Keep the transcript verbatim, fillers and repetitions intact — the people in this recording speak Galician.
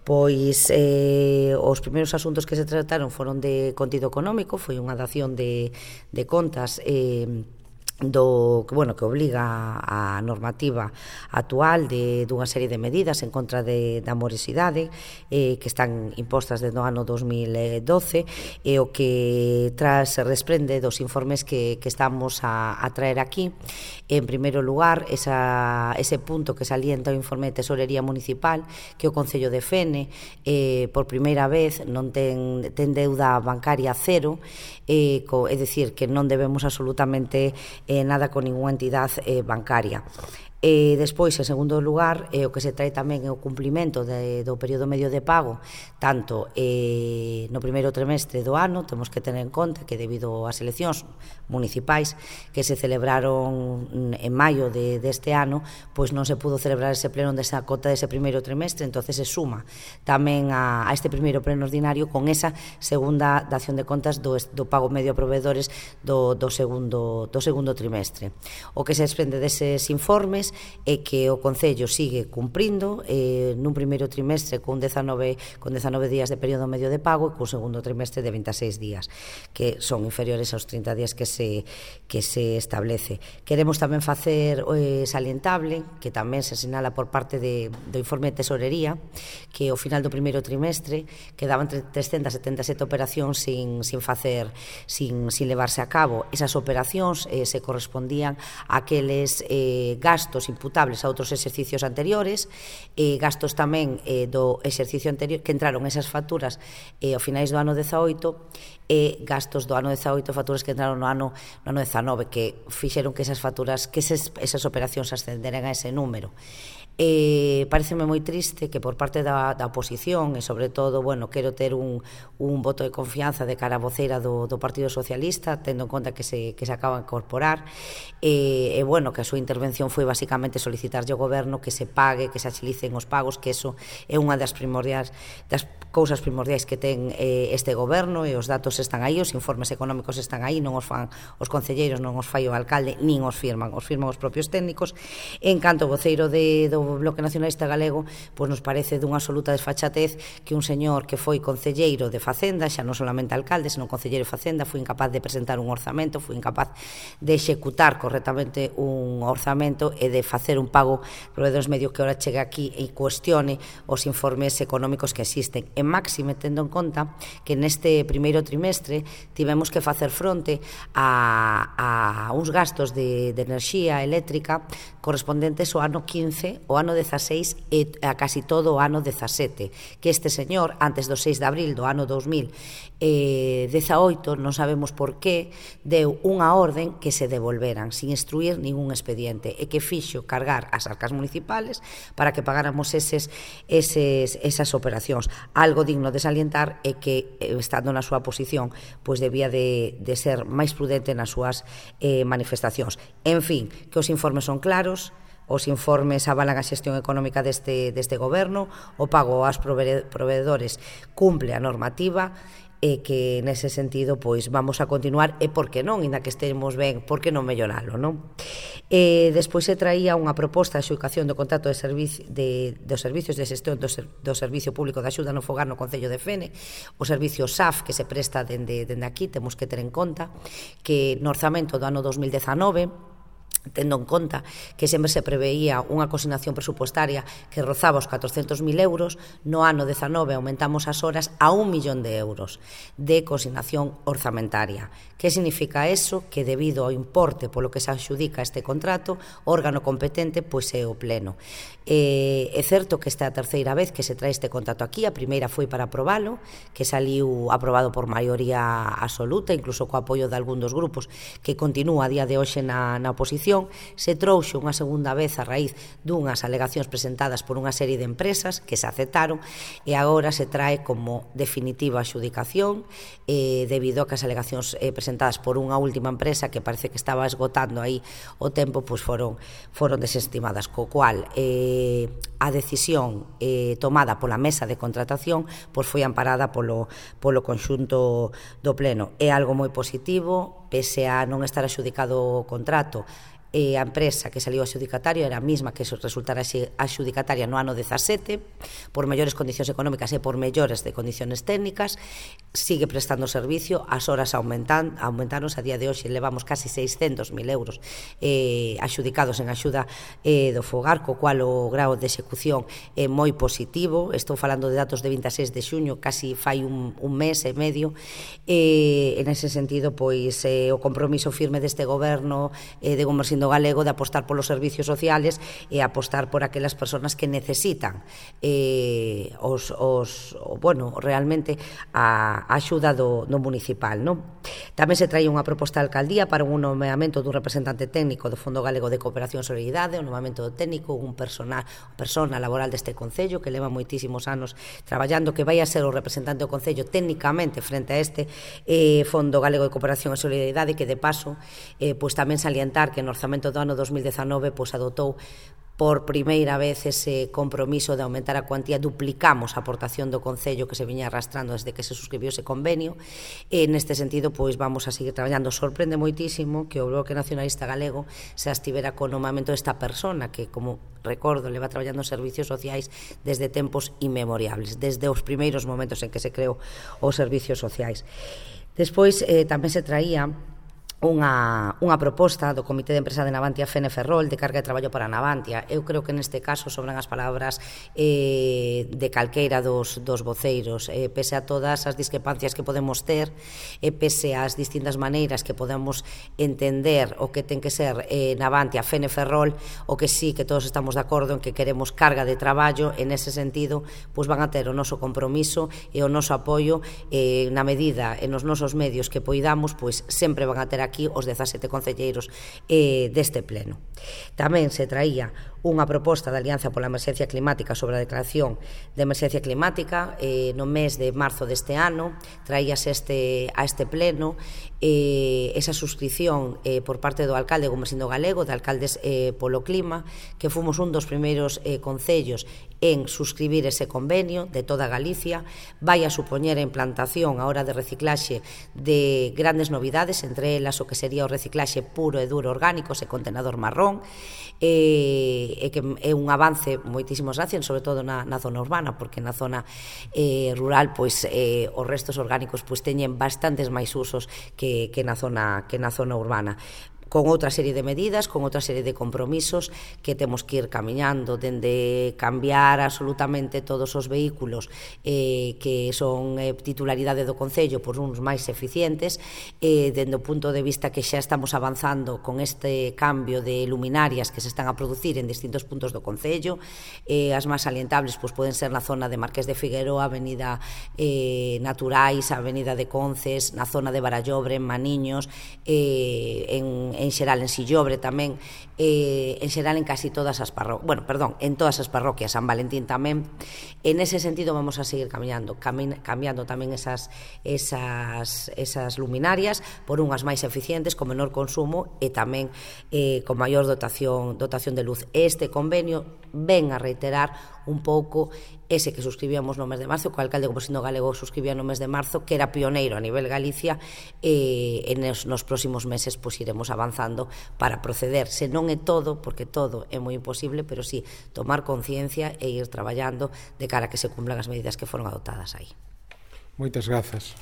Pois eh, os primeiros asuntos que se trataron foron de contido económico, foi unha dación de, de contas eh, do que, bueno, que obliga a normativa actual de dunha serie de medidas en contra de, da morosidade eh, que están impostas desde o ano dos mil doce e o que tras se desprende dos informes que, que estamos a, a traer aquí. En primeiro lugar, esa, ese punto que salienta o informe de Tesorería Municipal, que o Concello de Fene eh, por primeira vez non ten, ten deuda bancaria cero, eh, co, é dicir, que non debemos absolutamente eh, nada con ninguna entidade eh, bancaria. E despois, en segundo lugar, eh, o que se trae tamén é o cumplimento de, do período medio de pago, tanto eh, no primeiro trimestre do ano. Temos que tener en conta que debido ás eleccións municipais que se celebraron en maio de, deste ano, pois non se pudo celebrar ese pleno desa cota dese primeiro trimestre, entonces se suma tamén a, a este primeiro pleno ordinario con esa segunda dación de contas do, do pago medio a proveedores do, do, segundo, do segundo trimestre. O que se desprende deses informes é que o Concello sigue cumprindo eh, nun primeiro trimestre con dezanove, con dezanove días de período medio de pago e con segundo trimestre de vinte e seis días, que son inferiores aos trinta días que se, que se establece. Queremos tamén facer eh, salientable, que tamén se sinala por parte de, do informe de Tesorería, que ao final do primeiro trimestre quedaban trescentas setenta e sete operacións sin, sin facer, sin, sin levarse a cabo. Esas operacións eh, se correspondían a aqueles eh, gastos imputables a outros exercicios anteriores, e gastos tamén eh, do exercicio anterior que entraron esas facturas eh, ao finais do ano dezaoito, e gastos do ano dezaoito, facturas que entraron no ano, no ano dezanove, que fixeron que esas facturas, que esas, esas operacións ascenderan a ese número. Eh, pareceme moi triste que por parte da, da oposición, e sobre todo, bueno, quero ter un, un voto de confianza de cara a voceira do, do Partido Socialista, tendo en conta que se, que se acaba de incorporar, e, e bueno, que a súa intervención foi basicamente solicitarlle ao goberno que se pague, que se axilicen os pagos, que eso é unha das primordiais, das cousas primordiais que ten eh, este goberno, e os datos están aí, os informes económicos están aí, non os fan os concelleiros, non os fai o alcalde, nin os firman, os firman os propios técnicos. En canto ao voceiro de, do Bloque Nacionalista Galego, pois nos parece dunha absoluta desfachatez que un señor que foi concelleiro de Facenda, xa non solamente alcalde, senón concelleiro de Facenda, foi incapaz de presentar un orzamento, foi incapaz de executar correctamente un orzamento e de facer un pago proveedores medios, que ahora chega aquí e cuestione os informes económicos que existen. En máxime, tendo en conta que neste primeiro trimestre tivemos que facer fronte a, a uns gastos de, de enerxía eléctrica correspondentes ao ano quince, ao ano dezaseis e a casi todo o ano dezasete, que este señor, antes do seis de abril do ano dos mil dezaoito, non sabemos por qué, deu unha orden que se devolveran sin instruir ningún expediente, e que fixo cargar as arcas municipales para que pagáramos eses, eses, esas operacións. Algo digno de salientar é que, estando na súa posición, pois debía de, de ser máis prudente nas súas eh, manifestacións. En fin, que os informes son claros, os informes avalan a xestión económica deste, deste goberno, o pago aos proveedores cumple a normativa, e que nese sentido pois vamos a continuar, e por que non, inda que estemos ben, por que non melloralo, non? E despois se traía unha proposta de adxudicación do contrato de servicio, de, dos servicios de xestión do, ser, do Servicio Público de Axuda no Fogar no Concello de Fene, o servicio S A F que se presta dende, dende aquí. Temos que ter en conta que no orzamento do ano dos mil dezanove, tendo en conta que sempre se preveía unha consignación presupostaria que rozaba os catrocentos mil euros, no ano dezanove aumentamos as horas a un millón de euros de consignación orzamentaria. Que significa eso? Que debido ao importe polo que se adxudica este contrato, o órgano competente pois é o pleno. Eh, é certo que esta é a terceira vez que se trae este contrato aquí. A primeira foi para aprobalo, que saliu aprobado por maioría absoluta, incluso co apoio de algún dos grupos que continúa a día de hoxe na, na oposición. Se trouxe unha segunda vez a raíz dunhas alegacións presentadas por unha serie de empresas que se aceptaron, e agora se trae como definitiva a adxudicación eh, debido a que as alegacións eh, presentadas por unha última empresa que parece que estaba esgotando aí o tempo, pois foron, foron desestimadas, co cual eh, a decisión eh, tomada pola mesa de contratación pois foi amparada polo, polo conxunto do pleno. É algo moi positivo, pese a non estar adxudicado o contrato. eh, a empresa que saliu adxudicataria era a mesma que resultara adxudicataria no ano dezasete, por mellores condicións económicas e por mellores de condicións técnicas, sigue prestando servicio, as horas aumentan, aumentaron, a día de hoxe levamos casi seiscentos mil euros eh, adxudicados en axuda eh, do fogar, co cual o grao de execución é moi positivo. Estou falando de datos de veintiséis de xuño, casi fai un, un mes e medio, e en ese sentido, pois, eh, o compromiso firme deste goberno eh, de Gomersindo Galego de apostar polos servicios sociales e apostar por aquelas persoas que necesitan eh, os, os, bueno, realmente a, a axuda do, do municipal, non? Tamén se traía unha proposta de alcaldía para un nomeamento dun representante técnico do Fondo Galego de Cooperación e Solidaridade, o nomeamento do técnico, un persona, persona laboral deste Concello que leva moitísimos anos traballando, que vai a ser o representante do Concello técnicamente frente a este eh, Fondo Galego de Cooperación e Solidaridade, que de paso, eh, pois tamén salientar que no orzamento do ano dos mil dezanove pois adotou por primeira vez ese compromiso de aumentar a cuantía, duplicamos a aportación do Concello que se viña arrastrando desde que se suscribiu ese convenio, e neste sentido pois vamos a seguir traballando. Sorprende moitísimo que o Bloque Nacionalista Galego se estivera co nomamento desta persona que, como recordo, leva traballando en servicios sociais desde tempos inmemoriables, desde os primeiros momentos en que se creou os servicios sociais. Despois eh, tamén se traía Unha, unha proposta do Comité de Empresa de Navantia Fene Ferrol de carga de traballo para Navantia. Eu creo que neste caso sobran as palabras eh, de calqueira dos, dos voceiros, eh, pese a todas as discrepancias que podemos ter, e eh, pese ás distintas maneiras que podemos entender o que ten que ser eh, Navantia Fene Ferrol, o que sí que todos estamos de acordo en que queremos carga de traballo. En ese sentido, pois van a ter o noso compromiso e o noso apoio eh, na medida e nos nosos medios que poidamos, pois sempre van a ter aquí os dezasete concelleiros eh, deste pleno. Tamén se traía unha proposta de Alianza pola Emerxencia Climática sobre a declaración de emerxencia climática eh, no mes de marzo deste ano. Traíase este, a este pleno eh, esa suscripción eh, por parte do alcalde Gomersindo Galego, de Alcaldes eh, polo Clima, que fomos un dos primeiros eh, concellos en suscribir ese convenio de toda Galicia. Vai a supoñer a implantación a hora de reciclaxe de grandes novidades, entre elas o que sería o reciclaxe puro e duro orgánico e contenedor marrón, e, e que é un avance moitísimos gracias, sobre todo na, na zona urbana, porque na zona eh, rural pois eh, os restos orgánicos pois teñen bastantes máis usos que, que, na zona, que na zona urbana, con outra serie de medidas, con outra serie de compromisos que temos que ir camiñando, dende cambiar absolutamente todos os vehículos eh, que son eh, titularidade do Concello por uns máis eficientes, eh, dende o punto de vista que xa estamos avanzando con este cambio de luminarias que se están a producir en distintos puntos do Concello. Eh, as máis salientables pois, poden ser na zona de Marqués de Figueroa, Avenida eh, Naturais, Avenida de Conces, na zona de Barallobre, en Maniños, eh, en en xeral en Sillobre tamén, eh, en xeral en casi todas as parroquias, bueno, perdón, en todas as parroquias, San Valentín tamén. En ese sentido vamos a seguir camiñando, cami cambiando tamén esas, esas, esas luminarias por unhas máis eficientes, con menor consumo e tamén eh, con maior dotación, dotación de luz. Este convenio ven a reiterar un pouco ese que suscribíamos no mes de marzo, que o alcalde Gomersindo Galego suscribía no mes de marzo, que era pioneiro a nivel Galicia, e eh, nos, nos próximos meses pues, iremos avanzando para proceder. Se non é todo, porque todo é moi imposible, pero sí tomar conciencia e ir traballando de cara a que se cumplan as medidas que foron adoptadas aí. Moitas grazas.